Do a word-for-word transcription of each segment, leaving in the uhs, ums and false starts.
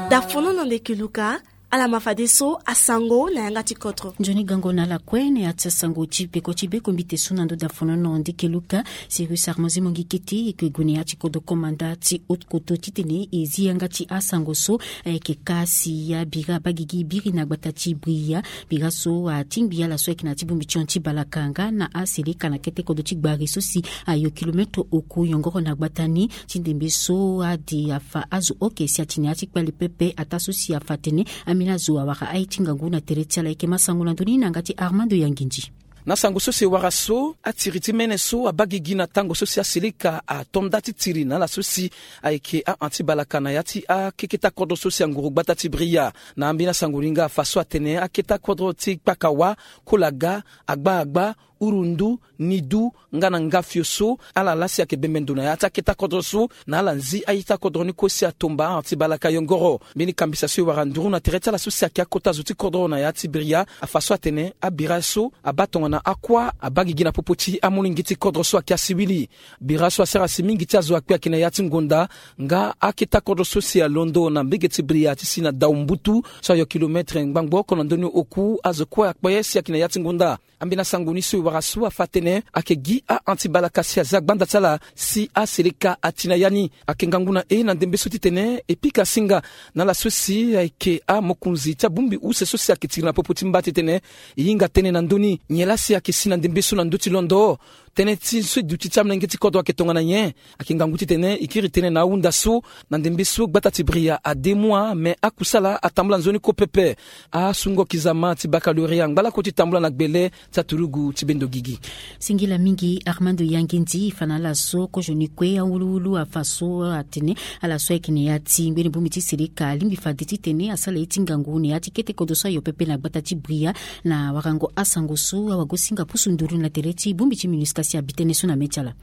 Dafono na ndeke luka. Ala ma fadeso asango na yanga ti kodro. Nzoni gango na ala kue na ya ti asango ti peko ti bekombite so na ndo dafono na ndeke luka. Sirius Armand Zimongi Kete eke gue na ya ti kodro komanda ti haute koto titene e zi yanga ti asango so. Ayeke ka si ya bira abagigi biri na gbata ti Bria. Bira so atingbi ala so ayeke na ya ti bongbi ti hon ti balaka nga na aseleka na kete kodro ti gbari so si ayo kilometre oku yongoro na gbata ni. Ti ndembe so ade afa azo oke si atene ya ti kpale pepe ataa so si afa atene ambeni azo awara aye ti ngangu na tere ti ala. Eke ma sango na ndö ni na yanga ti Armando Yangindi. Na sango so si e wara so atiri ti mene so abagigi na tango so si aseleka ato nda ti tiri na ala so si ayeke ahon ti balaka na ya ti akeketa kodro so si anguru gbata ti Bria. Na ambeni asango ni nga afa so atene aketa kodro ti Kpakawa, Kolaga, Agba Agba, Urundu, Nidu nga na Ngafio so ala laa si ayeke bembe ndo na ya ti aketa kodro so na ala nzi ayeta kodro ni kue si atomba ahon ti balaka yongoro. Mbeni kambisa so e wara nduru na tere ti ala so si ayeke akota zo ti kodro na ya ti Bria afa so atene abira so abaa tongana akuâ abagigi na popo ti amolenge ti kodro so ayeke asiwili. Bira so asara si mingi ti azo akpe ayeke na ya ti ngonda nga aketa kodro so si alondo na mbege ti Bria ti si na dau mbutu so ayo kilometre ngbangbo oko na ndö ni oku azo kue akpe si ayeke na ya ti ngonda. Ambeni asango ni so e wara so afa atene ayeke gi ahon ti balaka si aza gbanda ti ala si aseleka ati na ya ni. Ayeke ngangu na e na ndembe so titene e pika singa na ala so si ayeke amokonzi ti abongbi use so si ayeke tiri na popo ti mba titene e hinga tënë na ndö ni. Nyen laa si ayeke si na ndembe so na ndö ti londo tënë ti so e duti ti amolenge ti kodro ayeke tongana nyen? Ayeke ngangu titene e kiri tënë na ahunda so na ndembe so gbata ti Bria ade mua me akusala atambula nzoni kue pepe. Asungo kizama ti baccalauréat angba lakue ti tambula na gbele ti aturugu ti bendo gigi. Singila mingi Armando Yangindi. E fa na ala so kozo ni kue awuluwulu afa so atene ala so ayeke na ya ti ngbeni bongbi ti seleka alingbi fade titene asala ye ti ngangu na ya ti kete kodro so ayo pepe na gbata ti Bria. Na warango asango so awagosinga pusu nduru na tere ti bongbi ti MINUSCA si abi tënë so na mê ti ala.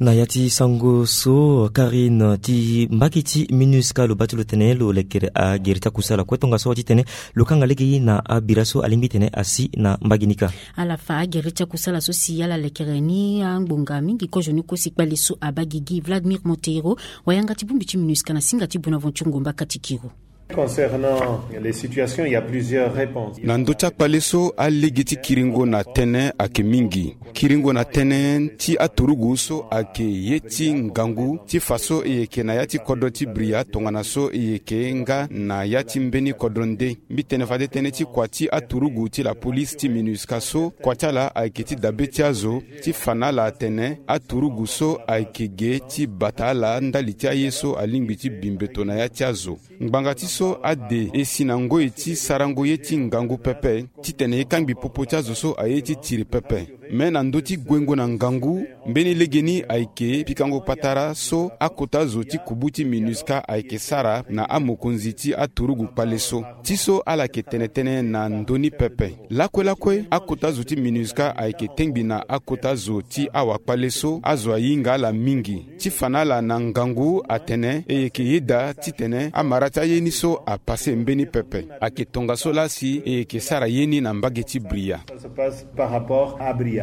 Na ya ti sango so Karine ti mbage ti MINUSCA lo baa ti lo tene lo lekere agere ti akusala kue tongaso titene lo kanga lege na abira so alingbi tene asi na mbage ni kâ. Ala fa agere ti akusala so si ala lekere ni angbonga mingi kozo ni kue si kpale so abaa gigi Vladimir Monteiro, wayanga ti bongbi ti MINUSCA na singa ti Bonaventure Ngomba Katikiro. Concernant les situations, il y a plusieurs réponses. Na ndö ti akpale so alege ti kiringo na tënë ayeke mingi. Kiringo na tënë ti aturugu so ayeke ye ti ngangu ti fa so e yeke na ya ti kodro ti Bria tongana so e yeke nga na ya ti mbeni kodro nde. Mbi tene fade tënë ti kua ti aturugu ti lapolisi ti MINUSCA so kua ti ala ayeke ti dabe ti azo ti fa na ala atene aturugu so ayeke ge ti bata ala ndali ti aye so alingbi ti bi mbeto na ya ti azo. Ngbanga ti so ade e si na ngoi ti sarango ye ti ngangu pepe titene e kangbi popo ti azo so aye ti tiri pepe. Me na ndö ti guengo na ngangu, mbeni legeni ayeke pikango patara so akota zo ti kubu ti MINUSCA ayeke sara na amokonzi ti aturugu kpale so. Ti so ala yeke tene tënë na ndö ni pepe. Lakue lakue akota zo ti MINUSCA ayeke tengbi na akota zo ti awakpale so azo ahinga ala mingi. Ti fa na ala na ngangu atene e yeke yeda titene amara ti aye ni so apase mbeni pepe. Ayeke tongaso laa si e yeke sara ye ni na mbage ti Bria. Ça se passe par rapport à Bria.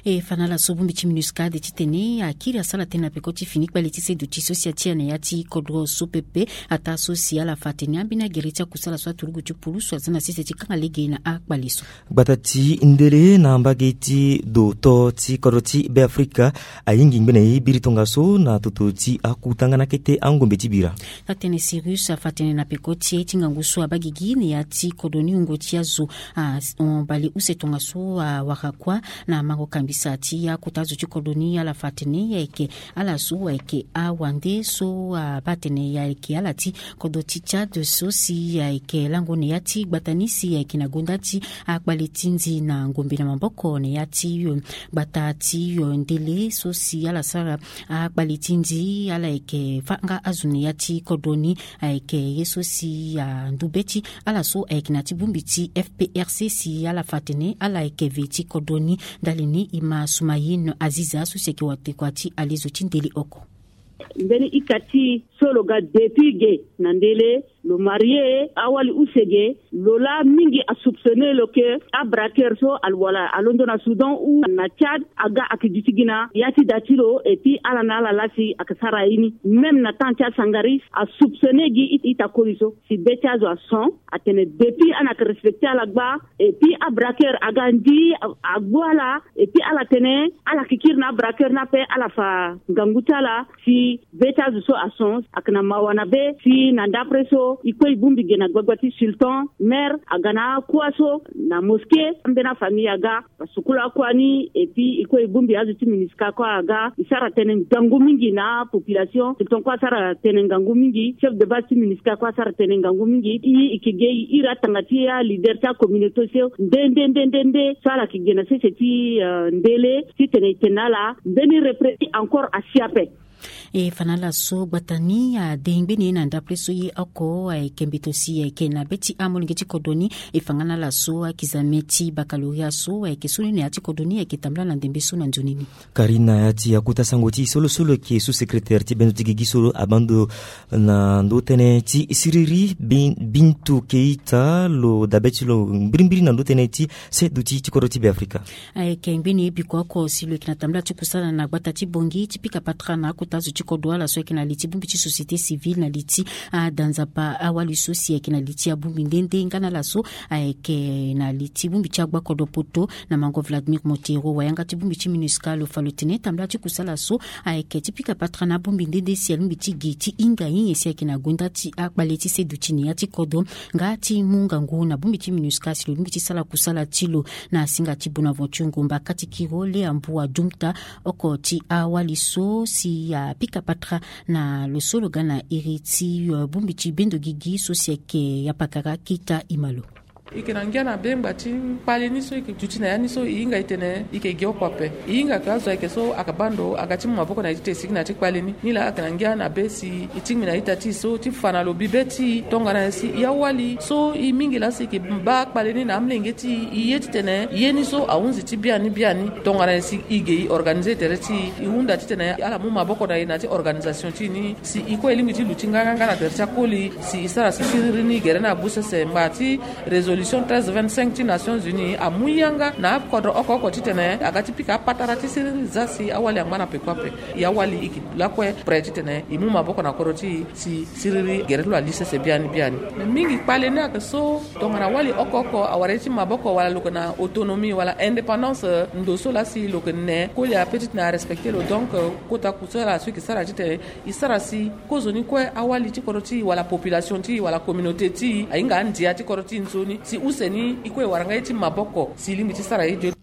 E fa na ala so bongbi ti MINUSCA ade titene akiri asara tënë na peko ti fini kpale ti seduti so si atia na ya ti kodro so pepe. Ataa so si ala fa atene ambeni agere ti akusala so aturugu ti pulusu aza na sese ti kanga lege na akpale so. Gbata ti ndele na mbage ti do to ti kodro ti Beafrika ayingi ngbene ye biri tongaso na toto ti akuta nga na kete angombe ti bira. Atene Sirius afa atene na peko ti e ti ngangu so abaa gigi na ya ti kodro ni wungo ti azo, ah, bale use tongaso awara kuâ na mango kambisa ti akota azo ti kodro ni. Ala fa atene ayeke ala so ayeke awande so abaa atene ayeke ala ti kodro ti Tchad so si ayeke lango na ya ti gbata ni si ayeke na gonda ti akpale ti nzi na ngombe na maboko na ya ti, eh, gbata ti, eh, ndele so si ala sara akpale ti nzi. Ala yeke fâ nga azo na ya ti kodro ni. Ayeke ye so si andu be ti ala so ayeke na ya ti bongbi ti F P R C si ala fa atene ala yeke ve ti kodro ni. Ndali ni e ma Soumaïn Aziza so si ayeke watekua ti alezo ti ndele oko. Mbeni ika ti so lo ga depuis ge na ndele lo marie awali use ge. Lo laa mingi asoupçonner lo ke abraqueur so wala alondo na Soudan ou na Tchad aga ayeke duti gi na ya ti da ti lo. Et puis ala na ala laa si ayeke sara ye ni. Même na temps ti asangaris asoupçonner gi ita koli so si be ti azo ason atene depuis ana ayeke respecter ala gba. Et puis abraqueur aga ndi agbu ala. Et puis ala tene ala yeke kiri na abraqueur ni ape ala fa ngangu ti ala si be ti azo so ason. Ayeke na mawa na be si na ndapre so e kue e bongbi ge na gbagba ti sultan maire aga na akua so na mosquée ambeni afamille aga. Sukulu akua ni et puis e kue e bongbi azo ti MINUSCA kue aga e sara tënë ngangu mingi na apopulation. Sultan kue asara tënë ngangu mingi. Chef de base ti MINUSCA kue asara tënë ngangu mingi. E yeke ge e iri atanga ti aleader ti acommunauté so nde nde nde nde nde so ala yeke ge na sese ti ndele titene e tene na ala mbeni represi encore asi ape. E fa na ala so gbata ni ade ngbeni ye na ndapre so ye oko ayeke mbeto si ayeke na be ti amolenge ti kodro ni. E fa nga na ala so akizame ti bakaloria so ayeke soni na ya ti kodro ni ayeke tambula na ndembe so na nzoni ni. Karina ya ti akota sango ti e so lo so lo yeke sous-secrétaire ti bendo ti gigi so abando na ndö tënë ti siriri. Bintu Keita lo dabe ti lo mbirimbiri na ndö tënë ti seduti ti kodro ti Beafrika. Ayeke ngbeni biko oko si lo yeke na tambula ti kusala na gbata ti Bangui ti pika patara na akota zo ti kodro ala so ayeke na li ti bongbi ti société civile na li ti ada Nzapa awali so si ayeke na li ti abongbi nde nde nga na ala so ayeke na li ti bongbi ti agbakodro poto na mango Vladimir Montero wayanga ti bongbi ti MINUSCA lo fa lo tene tambula ti kusala so ayeke ti pika patara na abongbi nde nde si alingbi ti gi ti hinga nyen si ayeke na gonda ti akpale ti seduti na ya ti kodro nga ti mu ngangu na bongbi ti MINUSCA si lo lingbi ti sara kusala ti lo. Na singa ti Bonaventure Ngomba kati kiro le ambu adumta oko ti awali so si apika patara na lo so lo ga na iri ti bongbi ti bendo gigi so si ayeke Yapakara Keita Imalo. E yeke na ngia na be ngba ti kpale ni so e yeke duti na ya ni so e hinga e tene e yeke gi oko ape. E hinga ke azo ayeke so ayeke baa ndo aga ti mu maboko na e ti tene e sigi na ya ti kpale ni. Nilaa ayeke na ngia na be si e tingbi na ita ti e so ti fa na lo bibe ti e tongana nyen si e awali so e mingi laa si e yeke baa kpale ni na amolenge ti e e ye titene e ye ni so ahunzi ti biani biani. Tongana nyen si e ge e organiser tere ti e e hunda titene ala mu maboko na e na ya ti organisation ti e ni si e kue e lingbi ti luti nganganga na tere ti akoli si e sara si siriri ni gere ni abu sese ngba ti résolution treize vingt-cinq ti Nations Unies amu yanga na akodro oko oko titene aga ti pika apatara ti siriri za si awali angba na peko ape. E awali e yeke lakue prêt titene e mu maboko na kodro ti e si siriri gere ti lo ali sese biani biani. Me mingi kpale ni ayeke so tongana wali oko oko awara ye ti maboko wala lo yeke na autonomie wala indépendance ndo so laa si lo yeke ne koli ape titene arespecter lo. Donc kota kusala so e yeke sara titene e sara si kozoni kue awali ti kodro ti e wala population ti e wala communauté ti e ahinga andia ti kodro ti e nzoni si use ni e kue e wara nga ye ti maboko si e lingbi ti sara ye dio.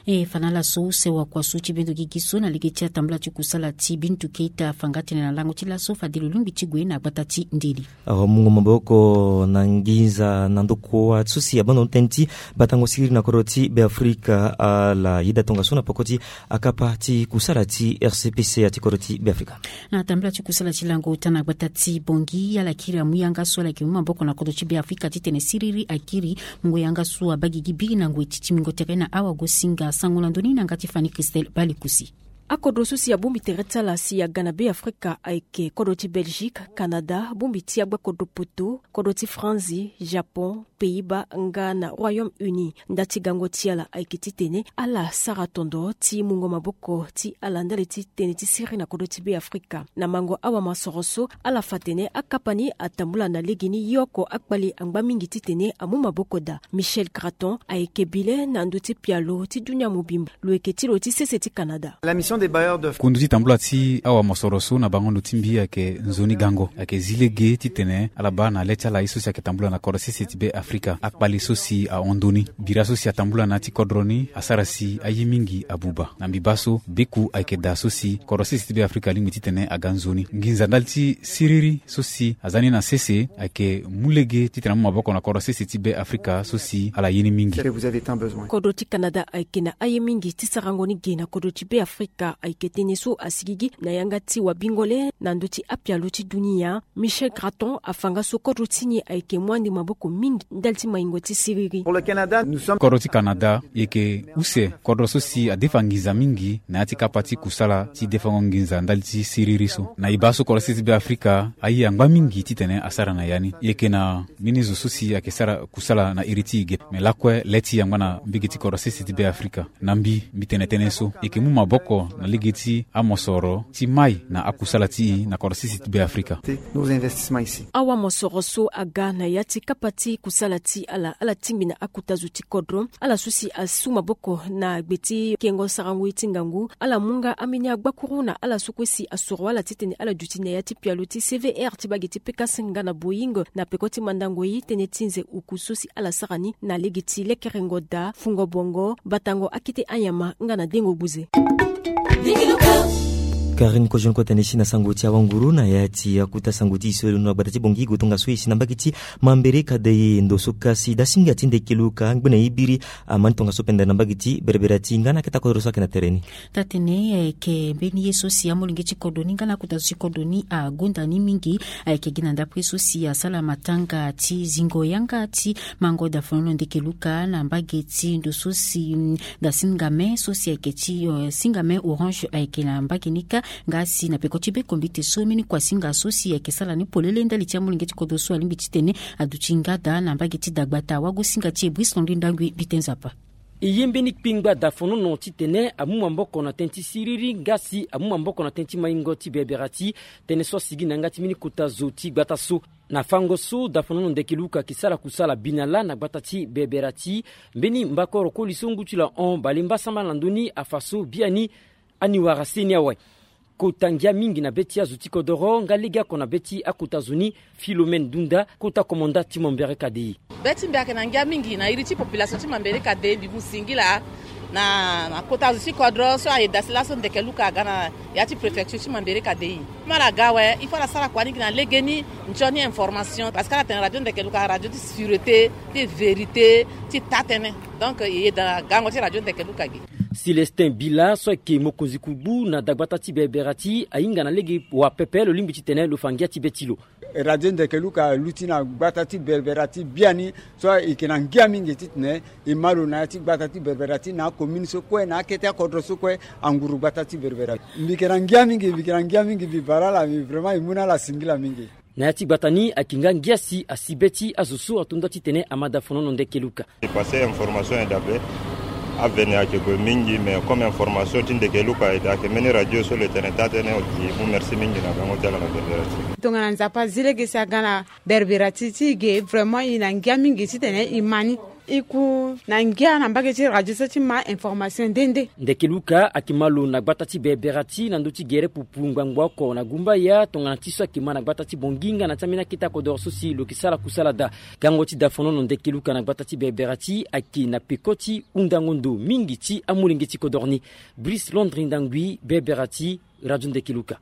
E fa na ala so use wakua so ti bendo gigi so na lege ti atambula ti kusala ti Bintu Keita afa nga tene na lango ti laso fade lo lingbi ti gue na gbata ti ndeli. Awamungo maboko na nginza na ndokua so si abando tënë ti batango siriri na kodro ti Beafrika ala yeda tongaso na peko ti akapa ti kusala ti R C P C ya ti kodro ti Beafrika. Na tambula ti kusala ti lango ota na gbata ti Bangui ala kiri amu yanga so ala yeke mu maboko na kodro ti Beafrika titene siriri akiri. Mungo yanga so abaa gigi biri na ngoi ti timbingo tere na awagosinga sango na ndö ni na yanga ti Fanny Christelle Balikusi. Akodro so si abongbi tere ti ala si aga na Beafrika ayeke kodro ti Belgique, Canada, bongbi ti agbakodro poto, kodro ti Franzi, Japon, Pays-Bas nga na Royaume-Uni. Nda ti gango ti ala ayeke titene ala sara tondo ti mungo maboko ti ala ndali ti tënë ti siriri na kodro ti Beafrika. Na mango awamosoro so ala fa atene akapa ni atambula na legeni ye oko akpale angba mingi titene amu maboko daa. Michel Graton ayeke bi le na ndö ti pialo ti dunia mobimba. Lo yeke ti lo ti sese ti Canada. Kundu ti tambula ti awamosoro so na bango ndo ti mbi ayeke nzoni gango ayeke zi lege titene ala baa na le ti ala ye so si ayeke tambula na kodro sese ti Beafrika akpale so si ahon ndoni. Bira so si atambula na ya ti kodro ni asara si aye mingi abuba. Na mbi baa so beku ayeke daa so si kodro sese ti Beafrika alingbi titene aga nzoni. Nginza ndali ti siriri so si aza ni na sese ayeke mu lege titene amu maboko na kodro sese ti Beafrika so si ala ye ni mingi. Kodro ti Canada ayeke na aye mingi ti sarango ni ge na kodro ti Beafrika. Ayeke tënë so asigigi na yanga ti wabingo le na ndö ti apialo ti dunia. Michel Graton afa nga so kodro ti ni ayeke mu ande maboko mingi ndali ti maingo ti siriri. Kodro ti Canada e yeke use kodro so si adefa nginza mingi na ya ti kapa ti kusala ti defango nginza ndali ti siriri so. Na e baa so kodro sese ti Be Afrika aye angba mingi titene asara na ya ni. E yeke na mbeni zo so si ayeke sara kusala na iri ti e ge. Me lakue le ti e angba na mbege ti kodro sese ti Be Afrika. Na mbi, mbi tene tënë so e yeke mu maboko na lege ti amosoro ti mai na akusala ti e na kodro sese ti Be Afrika. Awamosoro so aga na ya ti kapa ti kusala ti ala, ala tingbi na akota zo ti kodro, ala so si asu maboko na gbe ti kengo sarangoi ti ngangu, ala mu nga ambeni agbakuru na ala so kue si asoro ala titene ala duti na ya ti pialo ti C V R ti bage ti P K S nga na Boeing na peko ti mandango ye tënë ti nze oku so si ala sara ni na lege ti lekerengo daa, fungo bongo, batango akete anyama nga na dengo gbuze. Karine Kojon kota ni si na sango ti awanguru na ya ti akuta sango ti e so e londo na gbata ti Bongi, gue tongaso e si na mbage ti Mambere Kadei ndo so kasi dasinga ti Ndekeluka ngbene e biri amani tongaso pendere na mbage ti Bereberati nga na akete akodro so ayeke na tere ni. Taa-tene ayeke mbeni ye so si amolenge ti kodro ni nga na akota zo ti kodro ni agonda ni mingi. Ayeke gi na ndapre so si asala matanga ti zingo yanga ti mango dafonono Ndekeluka na mbage ti ndo so si, mm, dasingame so si ayeke ti, eh, singame orange ayeke na mbage ni kâ. Nga si na peko ti be kombite so mbeni kuasinga so si ayeke sara ni polele ndali ti amolenge ti kodro so alingbi titene aduti nga daa na mbage ti dagbata. Wagosinga ti e Brice Landry Ndangui Bite Nzapa. E ye mbeni kpengba dafonono titene amu maboko na tënë ti siriri nga si amu maboko na tënë ti maingo ti Bereberati, tënë so asigi na yanga ti mbeni kota zo ti gbata so. Na fango so dafonono Ndekeluka ayeke sara kusala binala na gbata ti Bereberati, mbeni mbakoro koli so ngu ti lo ahon bale mbasambala na ndö ni afa so biani ani wara seni awe. Kota ngia mingi na be ti azo ti kodoro nga legeoko na be ti akota zo ni, Philomène Dunda, kota komanda ti Mambere Kadei. Be ti mbi ayeke na ngia mingi na iri ti population ti Mambere Kadei, mbi mu singila na, na kota zo ti kodro so aye dasi laso Ndekeluka aga na ya ti préfecture ti Mambere Kadei. Mbi ala ga awe, il faut ala sara kua ni gi na legeni nzoni information, parce que ala tene radio Ndekeluka radio ti sûreté, ti vérité, ti taa-tënë. Donc e yeda gango ti radio Ndekeluka ge. Célestin Bila so ayeke mokonzi kugbu na dagbata ti Bereberati ahinga na lege wa pepe lo lingbi titene lo fa ngia ti be ti lo. Radio Ndekeluka aluti na gbata ti Bereberati biani so e yeke na ngia mingi titene e ma lo na ya ti gbata ti Bereberati na acommune so kue na akete akodro so kue anguru gbata ti Bereberati. Mbi yeke na ngia mingi, mbi yeke na ngia mingi, mbi bara ala, mbi vraiment e mu na ala singila mingi. Na ya ti gbata ni ayeke nga ngia si asi be ti azo so ato nda titene ama dafonono Ndekeluka. E passé information e dabe. Avene ayeke gue mingi, mais comme information ti Ndekeluka e da ayeke mbeni radio so lo tene taa-tënë, e mu merci mingi na gango ti ala na Bereberati. Tongana Nzapa azi lege si aga na Bereberati ti e ge, vraiment e na ngia mingi titene e ma ni. E ku na ngia na mbage ti radio so ti ma information nde nde. Ndekeluka ayeke ma lo na gbata ti Bereberati na ndö ti gere pupu ngbangbo oko na gumbaya tongana ti so ayeke ma na gbata ti Bongi nga na ti ambeni akete akodoro so si lo yeke sara kusala daa. Gango ti dafonono Ndekeluka na gbata ti Bereberati ayeke na peko ti hundango ndo mingi ti amolenge ti kodoro ni. Brice Landry Ndangui, Bereberati, Radio Ndekeluka.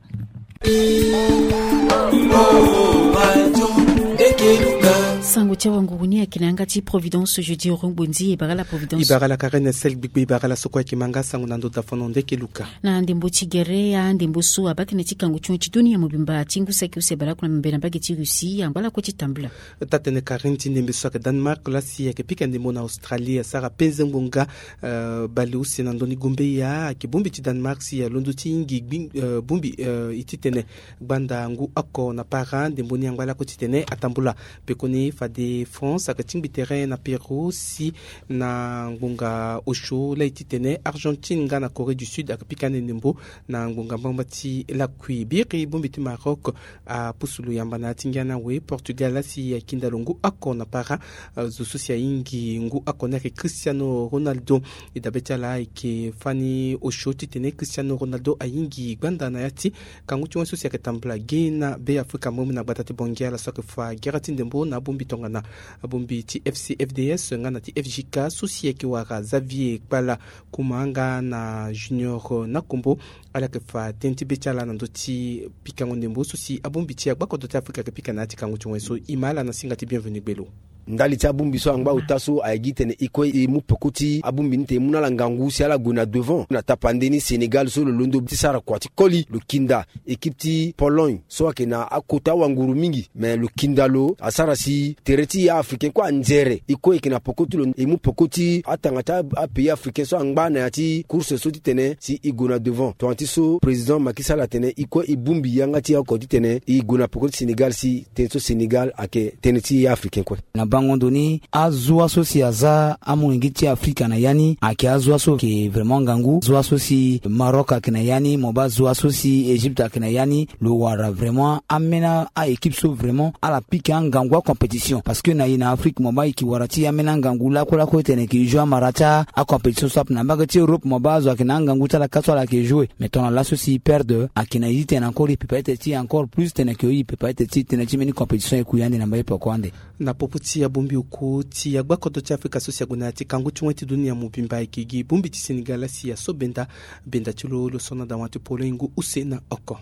Sango ti awanguru ni ayeke na yanga ti Providence Jeudi Orongbonzi. E bara la Providence. E bara la Karine Sel Gbigbe, e bara la so kue ayeke ma nga sango na ndö dafono Ndekeluka. Na ndembo ti gere, andembo so abaa tënë ti kango ti hon ti dunia mobimba ti ngu saki use baleoko na mbe na mbage ti Russie angba lakue ti tambula. Taa-tënë Karine, ti ndembe so ayeke Danemark laa si ayeke pika ndembo na Australie asara penze ngbonga, eh, baleuse na ndö ni gombeya ayeke bongbi ti Danemark si alondo ti hingi gbi, eh, bongbi, eh, e titene gbanda ngu oko na para ndembo ni angba lakue titene atambula. Pekoni fade France ayeke tingbi tere na Pérou si na ngbonga osio laa e titene Argentine nga na Corée du Sud ayeke pika ande ndembo na ngbonga mbamba ti lakui. Biri bongbi ti Maroc apusu lo yamba na ya ti ngia ni awe Portugal laa si akinda lo ngu oko na para, eh, zo so si ahingi ngu oko ni ayeke Cristiano Ronaldo. E dabe ti ala ayeke fani osio titene Cristiano Ronaldo ahingi gbanda na ya ti kangu ti wen so si ayeke tambula ge na Be Afrika mbombi na gbata ti Bongi ala so ayeke fa gere ti ndembo na abongbi tongana abongbi ti F C F D S nga na ti F J K so si ayeke wara Xavier Kpala Kuma nga na Junior Nakombo. Ala yeke fa tënë ti be ti ala na ndö ti pikango ndembo so si abongbi ti agbakodro ti Afrika ayeke pika na ya ti kangu ti wen so. E ma ala na singa ti Bienvenu Gbelo. Ndali ti abongbi so angba ota so ayeke gi titene e kue e mu peko ti abongbi ni titene e mu na ala ngangu si ala gue na devant na tapande ni. Sénégal so lo londo ti sara kua ti koli lo kinda équipe ti Pologne so ayeke na akota wanguru mingi, me lo kinda lo asara si tere ti e africain kue anzere. E kue e yeke na peko ti lo, e mu peko ti atanga ti apays africain so angba na ya ti course so titene si e gue na devant. Tongana ti so président Macky Sall atene e kue e bongbi yanga ti e oko titene e gue na peko ti Sénégal si tënë so Sénégal ayeke tënë ti e africain kue. Na bango ndo ni azua so si aza amolenge ti Afrika na ya ni ayeke azua so ayeke vraiment ngangu. Zua so si Maroc ayeke na ya ni, mo baa zua so si Égypte ayeke na ya ni. Lo wara vraiment ambeni a-équipe so vraiment ala pika angangu acompétition, parce que na e na Afrique mo baa e yeke wara ti ambeni angangu lakue lakue titene e yeke joue amara ti acompétition so ape. Na mbage ti Europe mo baa azo ayeke na angangu ti ala ka so ala yeke joue. Mais tongana laso si e perdre ayeke na e ti tene encore e prépare tene ti e encore plus tene e yeke e prépare tene ti e tene ti mbeni compétition e ku ya ande na mbage peko ande. Na popo ti abongbi oko ti agbakodro ti Afrika so si ague na ya ti kangu ti wen ti dunia mobimba ayeke gi bongbi ti Sénégal si aso benda, benda ti lo lo so na dawa ti Pologne ngu use na oko.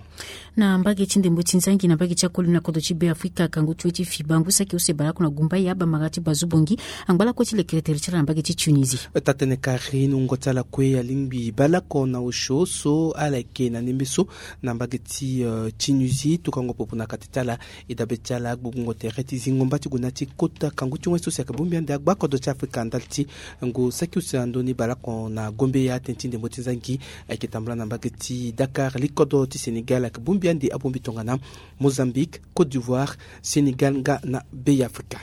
Na mbage ti ndembo ti nzangi na mbage ti akoli na kodro ti Be Afrika, kangu ti wen ti fiba ngu saki use baleoko na gumba ya abamara ti bazu bongi angba lakue ti lekere tere ti ala na mbage ti Tunisie. Taa-tënë Karine wungo ti ala kue alingbi baleoko na osio so ala yeke na ndembe so na mbage ti, eh, Tunisie, tokango popo na kati ti ala. E dabe ti ala agbogbongo tere ti zingo mba ti gue na ya ti kota kangu ti wen so si ayeke bongbi ande agbakodro ti Afrika ndali ti ngu saki use na ndoni baleoko na gombe ya tënë ti ndembo ti nzangi ayeke tambula na mbage ti Dakar. Likodro ti Sénégal ayeke bongbi ande abongbi tongana Mozambique, Côte d'Ivoire, Sénégal nga na Be Afrika.